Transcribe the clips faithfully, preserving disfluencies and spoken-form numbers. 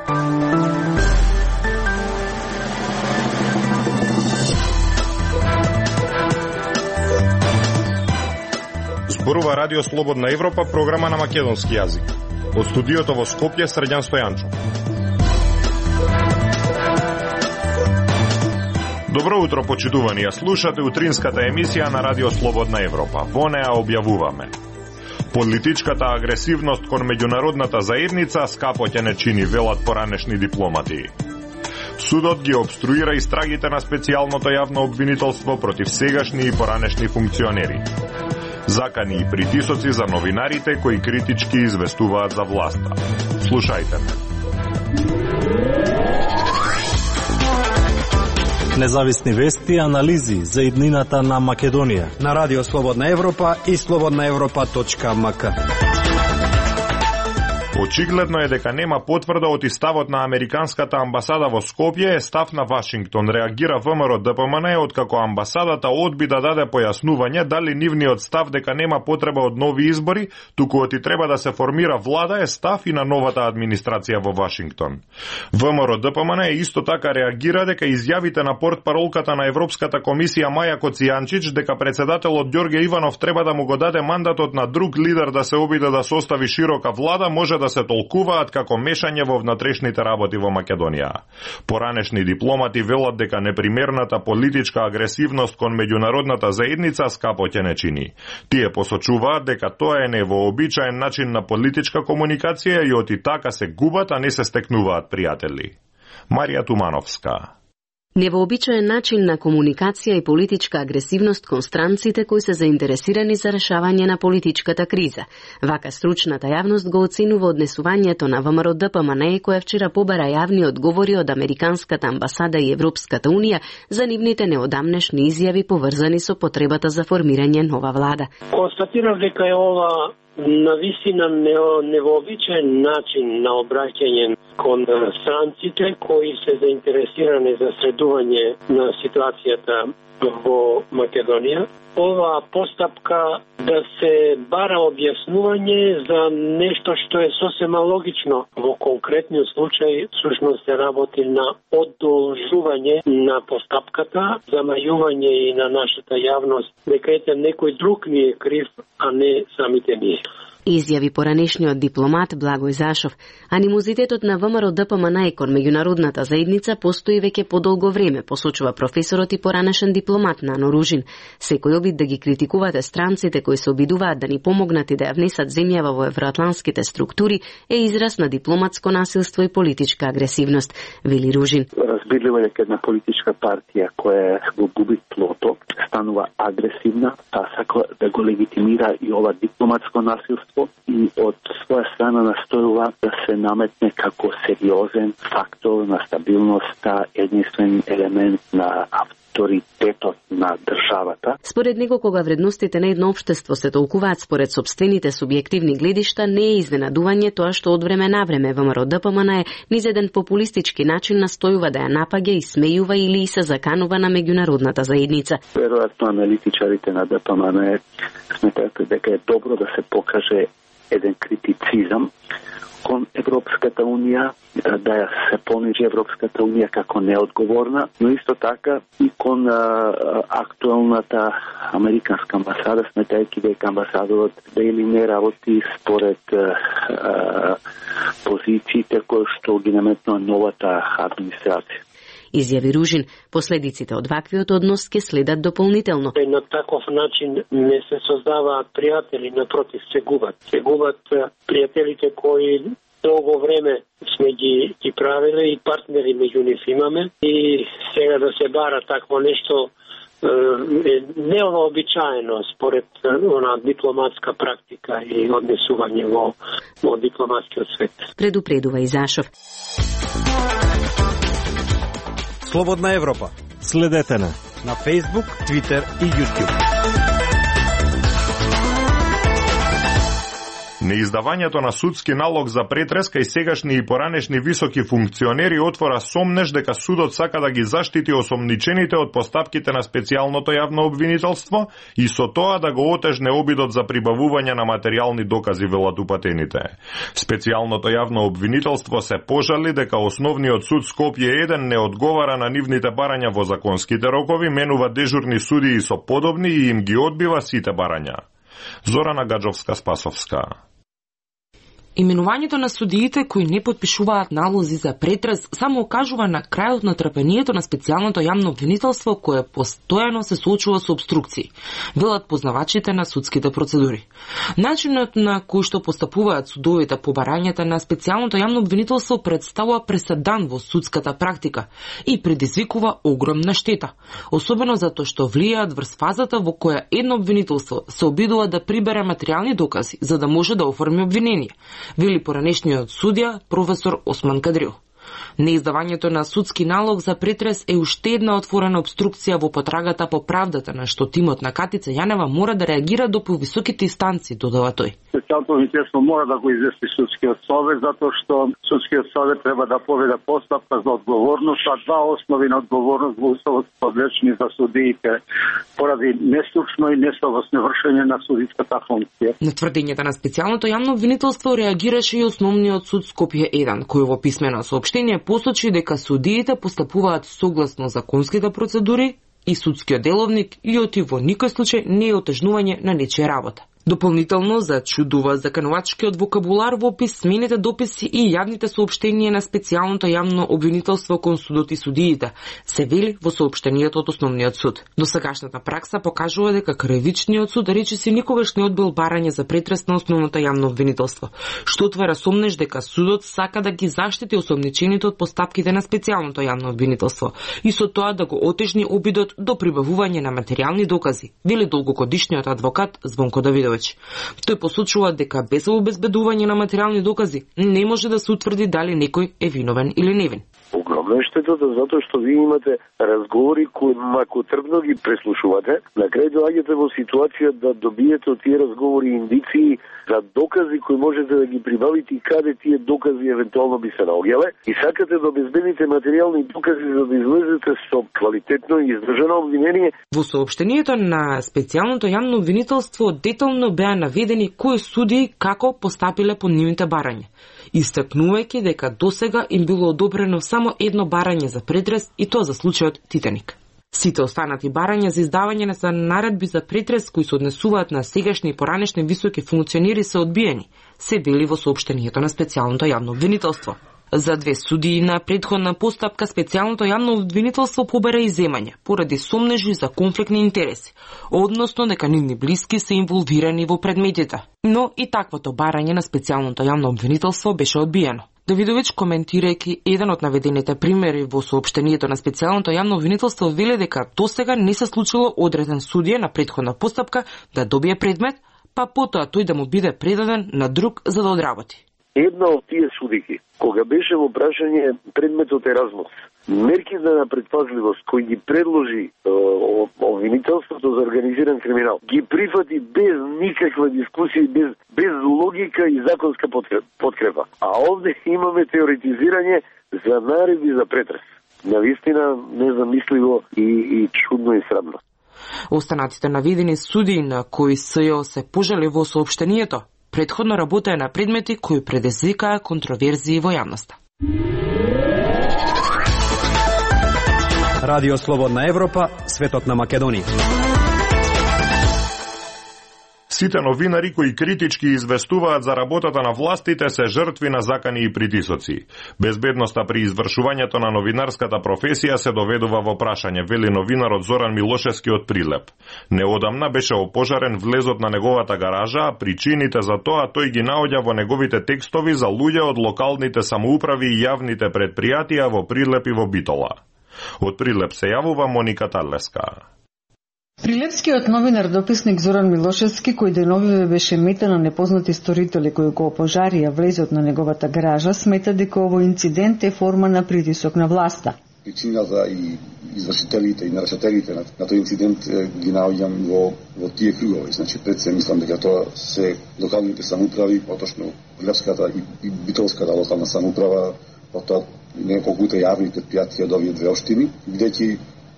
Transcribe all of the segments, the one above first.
Зборува Радио Слободна Европа, програма на македонски јазик. Од студиото во Скопје, Срđan Стојанчов. Добро утро, почитувани, ја слушате утринската емисија на Радио Слободна Европа. Во неа објавуваме: политичката агресивност кон меѓународната заедница скапо ќе не чини, велат поранешни дипломати. Судот ги обструира истрагите на специјалното јавно обвинителство против сегашни и поранешни функционери. Закани и притисоци за новинарите кои критички известуваат за власта. Слушајте ме. Независни вести и анализи за иднината на Македонија на Радио Слободна Европа и слободна европа точка ем ка. Очигледно е дека нема потврда од ставот на американската амбасада во Скопје е став на Вашингтон, реагира ВМРО Д П М Н откако амбасадата одби да даде појаснување дали нивниот став дека нема потреба од нови избори, туку оти треба да се формира влада е став и на новата администрација во Вашингтон. ВМРО Д П М Н исто така реагира дека изјавите на портпаролката на Европската комисија Маја Коцијанчич дека председателот Ѓорѓе Иванов треба да му го даде мандатот на друг лидер да се обиде да состави широка влада може да се толкуваат како мешање во внатрешните работи во Македонија. Поранешни дипломати велат дека непримерната политичка агресивност кон меѓународната заедница скапо ќе не чини. Тие посочуваат дека тоа е невообичаен начин на политичка комуникација и оти така се губат, а не се стекнуваат пријатели. Марија Тумановска. Невообичаен начин на комуникација и политичка агресивност кон странците кои се заинтересирани за решавање на политичката криза. Вака стручната јавност го оценува однесувањето на ВМРО Д П М Н која вчера побара јавни одговори од Американската амбасада и Европската унија за нивните неодамнешни изјави поврзани со потребата за формирање нова влада. Констатирав дека е ова навистина невообичаен начин на обраќање кон странците кои се заинтересирани за следување на ситуацијата во Македонија. Ова постапка да се бара објаснување за нешто што е сосема логично. Во конкретниот случај, всушност се работи на одолжување на постапката, замајување и на нашата јавност дека ете некој друг ни е крив, а не самите ние. Изјави поранешниот дипломат Благој Зашов. Анимозитетот на ВМРО Д П М Н кон меѓународната заедница постои веќе подолго време, посочува професорот и поранешен дипломат Нано Ружин. Секој обид да ги критикувате странците кои се обидуваат да ни помогнат и да ја внесат земјава во евроатланските структури е израз на дипломатско насилство и политичка агресивност, вели Ружин. Разбирливо е дека една политичка партија која го губи тлото станува агресивна, та сака да го легитимира и ова дипломатско насилство и од своја страна настојува да се наметне како сериозен фактор на стабилноста, единствен елемент на авторитетот на државата. Според него, кога вредностите на едно општество се толкуваат според собствените субјективни гледишта, не е изненадување тоа што од време на време ВМРО Д П М Н низ еден популистички начин настојува да ја напаѓа и смејува или и се заканува на меѓународната заедница. Веројатно аналитичарите на Д П М Н сметаат дека е добро да се покаже еден критицизам кон Европската унија, да ја се понижи Европската унија како неодговорна, но исто така и кон а, актуелната американска амбасада, сметајќи дека амбасадорот дали не работи според а, а, позициите кои што ги наметнува новата администрација. Изјави Ружин, последиците од ваквиот однос ќе следат дополнително. На таков начин не се создаваат пријатели, напротив се губат. Се губат пријателите кои долго време сме ги, ги правиле и партнери меѓу нив имаме и сега да се бара такво нешто е невообичаено според она дипломатска практика и однесување во, во дипломатскиот свет. Предупредува и Зашов. Слободна Европа. Следете на на Facebook, Twitter и YouTube. Неиздавањето на судски налог за претрес кај сегашни и поранешни високи функционери отвора сомнеш дека судот сака да ги заштити осомничените од постапките на специјалното јавно обвинителство и со тоа да го отежне обидот за прибавување на материјални докази, велат упатените. Специјалното јавно обвинителство се пожали дека Основниот суд Скопје еден не одговара на нивните барања во законските рокови, менува дежурни судии со подобни и им ги одбива сите барања. Зорана Гаджовска-Спасовска. Именувањето на судиите кои не потпишуваат налози за претрес само окажува на крајот на трпението на специјалното јавно обвинителство кое постојано се соочува со обструкции, велат познавачите на судските процедури. Начинот на кој што постапуваат судовите по барањата на специјалното јавно обвинителство представува преседан во судската практика и предизвикува огромна штета, особено затоа што влијаат врз фазата во која едно обвинителство се обидува да прибере материјални докази за да може да оформи обвинение, вели поранешниот судија професор Осман Кадрил. Неиздавањето на судски налог за претрес е уште една отворена обструкција во потрагата по правдата на што тимот на Катица Јанева мора да реагира до повисоките инстанции, додава тој. Специјалното обвинителство мора да го извести судскиот совет, затоа што судскиот совет треба да поведе постапка за одговорност, а два основи на одговорност во Уставот подлежни за судиите поради нестручно и несовесно вршење на судиската функција. На тврдењата на специјалното јавно обвинителство реагираше и Основниот суд Скопје еден, кој во писмено соопштение посочи дека судиите постапуваат согласно законските процедури и судскиот деловник и оти во никој случај не е отежнување на нечија работа. Дополнително зачудува законувачкиот вокабулар во писмените дописи и јавните соопштенија на специјалното јавно обвинителство кон судот и судиите, се вели во соопштението од Основниот суд. Досегашната пракса покажува дека Кривичниот суд речиси никогаш не одбил барање за претрес на Основното јавно обвинителство, што отвара сомнеш дека судот сака да ги заштити осомничените од постапките на специјалното јавно обвинителство и со тоа да го отежни обидот до прибавување на материјални докази, вели долгогодишниот адвокат Звонко Давидович. Тој посочува дека без обезбедување на материјални докази не може да се утврди дали некој е виновен или невин. Огромна е штетата затоа што вие имате разговори кои мако трбно ги преслушувате, на крај доаѓате во ситуација да добиете од тие разговори индиции за докази кои можете да ги прибавите и каде тие докази евентуално би се наоѓале и сакате да обезбедите материјални докази за да излезете со квалитетно и издржано обвинение. Во соопштението на специјалното јавно обвинителство детално беа наведени кои судии како постапиле по нивните барања, истакнувајќи дека досега им било одобрено само едно барање за претрес и тоа за случајот Титаник. Сите останати барања за издавање на наредби за претрес кои се однесуваат на сегашни и поранешни високи функционери се одбиени, се вели во соопштението на специјалното јавно обвинителство. За две судии на претходна постапка специјалното јавно обвинителство побера иземање поради сомнежи за конфликтни интереси, односно дека нивни блиски се инволвирани во предметите. Но и таквото барање на специјалното јавно обвинителство беше одбиено. Давидович, коментирајќи еден од наведените примери во соопштението на специјалното јавно обвинителство, вели дека досега не се случило одреден судија на претходна постапка да добие предмет, па потоа тој да му биде предаден на друг за да одработи. Една од тие судики, кога беше во прашање предметот Еразмус, мерките на предпазливост кои ги предложи обвинителството за организиран криминал, ги прифати без никаква дискусија, без, без логика и законска подкрепа. А овде имаме теоретизирање за наредби за претрес. Навистина незамисливо и, и чудно и срамно. Останатите наведени судии на кои СЈО се пожали во соопштението, претходно работеа на предмети кои предизвикаа контроверзии во јавноста. Радио Слободна Европа, светот на Македонија. Сите новинари кои критички известуваат за работата на властите се жртви на закани и притисоци. Безбедноста при извршувањето на новинарската професија се доведува во прашање, вели новинарот Зоран Милошевски од Прилеп. Неодамна беше опожарен влезот на неговата гаража, а причините за тоа тој ги наоѓа во неговите текстови за луѓе од локалните самоуправи и јавните предпријатија во Прилеп и во Битола. Од Прилеп се јавува Моника Тарлеска. Прилепскиот новинар дописник Зоран Милошевски, кој деновиве беше мета на непознати сторители кои го опожарија влезот на неговата гаража, смета дека овој инцидент е форма на притисок на власта. причината и извршителите и нарушителите на, на тој инцидент ги наоѓам во, во тие кругови. Значи, пред се мислам дека тоа се локалните самоуправи, поточно Левската и, и Битолската локална самоуправа, потоа неколку јавни предпријатија од овие две општини, где ќе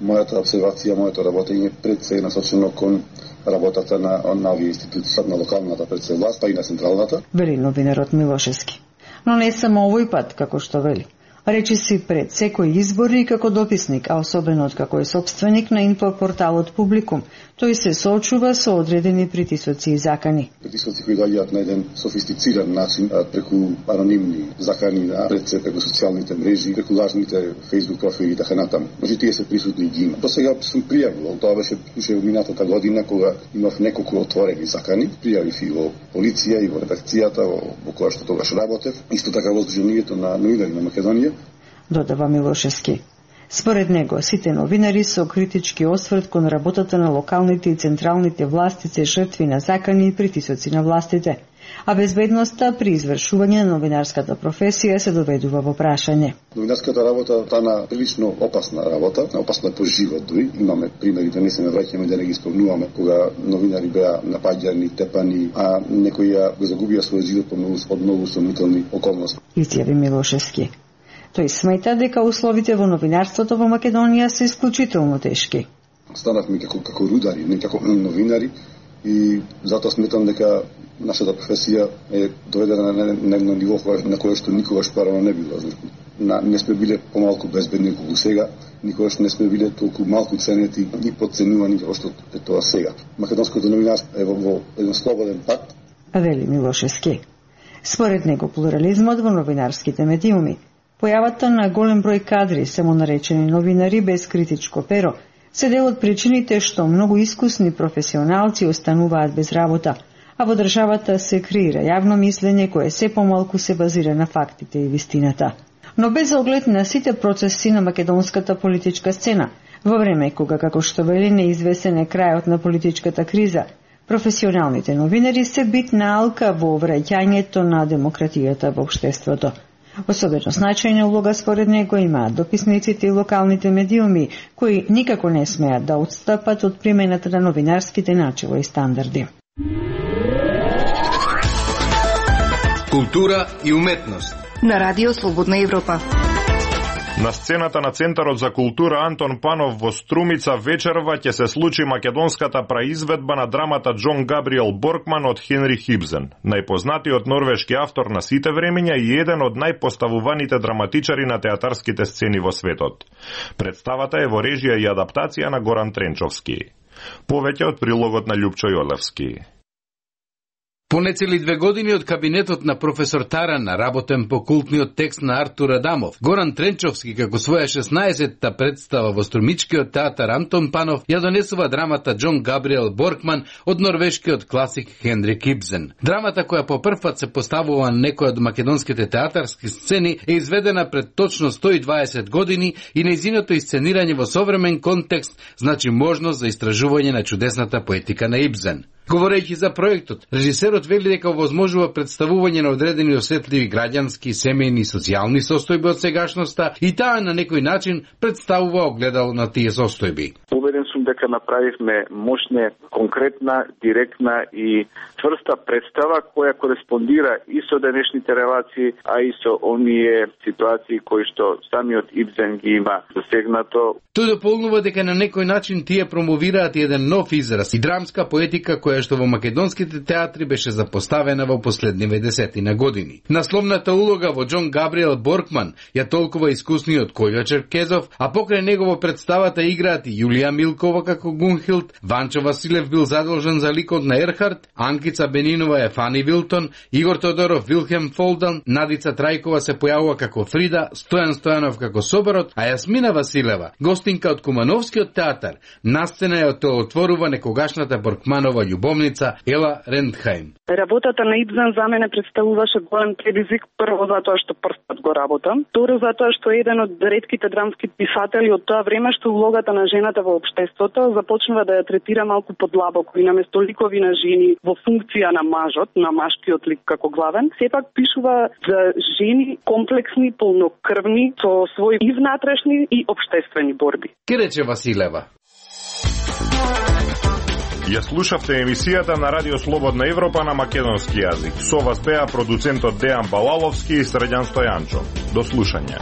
мојата обсервација, моето работење пред се е насочено кон работата на, на овие институции, на локалната пред се власт, па и на централната. Вели новинарот Милошевски. Но не само овој пат, како што вели. Речи си пред секој избори како дописник, а особено од како е собственик на инфопорталот Публикум. Тој се соочува со одредени притисоци и закани. Притисоци кои доаѓаат на еден софистициран начин, преку анонимни закани на пред се преку социјалните мрежи, преку лажните Facebook профили и така натаму. Значи тие се присутни и ги има. До сега сум пријавувал, тоа беше уште минатата година кога имав неколку отворени закани, пријавив и во полиција и во редакцијата во, во која што тогаш работев, исто така во Сдруженијето на новинари на Македонија. Додава Милошевски. Според него, сите новинари со критички осврт кон работата на локалните и централните власти се жртви на закани и притисоци на властите, а безбедноста при извршување на новинарската професија се доведува во прашање. Новинарската работа тана прилично опасна работа, опасна по живот дури. Имаме примери, да не се навраќаме, да не ги спомнуваме, кога новинари беа напаѓани, тепани, а некои го загубија својот живот по многу, под многу сомнителни околности. Изјави Милошевски. Тој смета дека условите во новинарството во Македонија се исклучително тешки. Станавме како, како рудари, не како новинари, и затоа сметам дека нашата професија е доведена на, на, на ниво на кое што никогаш парано не било. На, не сме биле помалку безбедни колку сега, никогаш не сме биле толку малку ценети и подценувани како што е тоа сега. Македонското новинарство е во, во еден слободен пат. Вели Милошевски. Според него плурализмот во новинарските медиуми, појавата на голем број кадри, само наречени новинари без критичко перо, се дел од причините што многу искусни професионалци остануваат без работа, а во државата се креира јавно мислење кое се помалку се базира на фактите и вистината. Но без оглед на сите процеси на македонската политичка сцена, во време кога, како што вели, неизвесен е крајот на политичката криза, професионалните новинари се битна алка во враќањето на демократијата во општеството. Особено значајна улога според него имаат дописниците и локалните медиуми, кои никако не смеат да отстапат од примената на новинарските начела и стандарди. Култура и уметност на Радио Слободна Европа. На сцената на Центарот за култура Антон Панов во Струмица вечерва ќе се случи македонската праизведба на драмата Џон Габриел Боркман од Хенри Хибзен, најпознатиот норвешки автор на сите времења и еден од најпоставуваните драматичари на театарските сцени во светот. Представата е во режија и адаптација на Горан Тренчовски. Повеќе од прилогот на Љупчо Јолевски. Понецели две години од кабинетот на професор Таран, работен по култниот текст на Артур Адамов, Горан Тренчовски како своја шеснаесетта представа во Струмичкиот театар Антон Панов ја донесува драмата Џон Габриел Боркман од норвешкиот класик Хенрик Ибсен. Драмата која по прв пат се поставува на некој од македонските театарски сцени е изведена пред точно сто и дваесет години и нејзиното исценирање во современ контекст значи можност за истражување на чудесната поетика на Ибсен. Говорејќи за проектот, режисерот вели дека овозможува представување на одредени осетливи граѓански, семејни и социјални состојби од сегашноста и таа на некој начин представува огледало на тие состојби. Убеден сум дека направивме мощна, конкретна, директна и тврста представа која кореспондира и со денешните релации, а и со оние ситуации кои што самиот Ибсен ги има засегнато. Тој дополнува дека на некој начин тие промовираат еден нов израз и драмска поетика која што во македонските театри беше запоставена во последниве десетина години. Насловната улога во Џон Габриел Боркман ја толкува искусниот Кољо Черкезов, а покрај него во представата играат и Јулија Милкова како Гунхилд, Ванчо Василев бил задолжен за ликот на Ерхард, Анкица Бенинова е Фани Вилтон, Игор Тодоров Вилхем Фолдан, Надица Трајкова се појавува како Фрида, Стојан Стојанов како Соборот, а Јасмина Василева, гостинка од Кумановскиот театар, на сцена ја отворува некогашната Боркманова љубовница Ела Рендхајм. Работата на Ибсен за мене представуваше голем предизвик, прво затоа што прв пат го работам, второ затоа што е еден од ретките драмски писатели од тоа време што улогата на жената во општеството делото започнува да ја третира малку подлабоко и наместо ликови на жени во функција на мажот, на машкиот лик како главен, сепак пишува за жени комплексни, полнокрвни, со своји и внатрешни и општествени борби. Ке рече Василева. Ја слушавте емисијата на Радио Слободна Европа на македонски јазик. Со вас беа продуцентот Дејан Балаловски и Срđan Стојанчо. До слушање.